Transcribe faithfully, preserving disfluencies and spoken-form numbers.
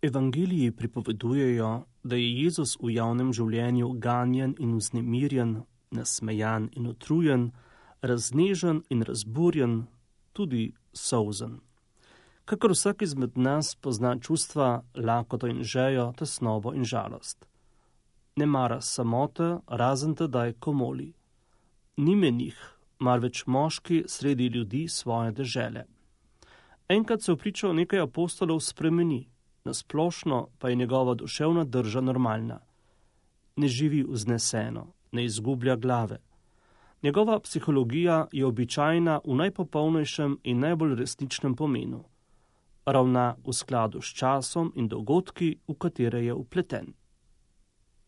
Evangeliji pripovedujejo, da je Jezus v javnem življenju ganjen in vznemirjen, nasmejan in utrujen, raznežen in razburjen, tudi solzen. Kakor vsak izmed nas pozna čustva, lakoto in žejo, tesnobo in žalost. Ne mara samote, razen tedaj, ko moli. Ni menih, marveč moški sredi ljudi svoje dežele. Enkrat se v pričo nekaj apostolov spremeni, nasplošno pa je njegova duševna drža normalna. Ne živi vzneseno, ne izgublja glave. Njegova psihologija je običajna v najpopolnejšem in najbolj resničnem pomenu. Ravna v skladu s časom in dogodki, v katere je vpleten.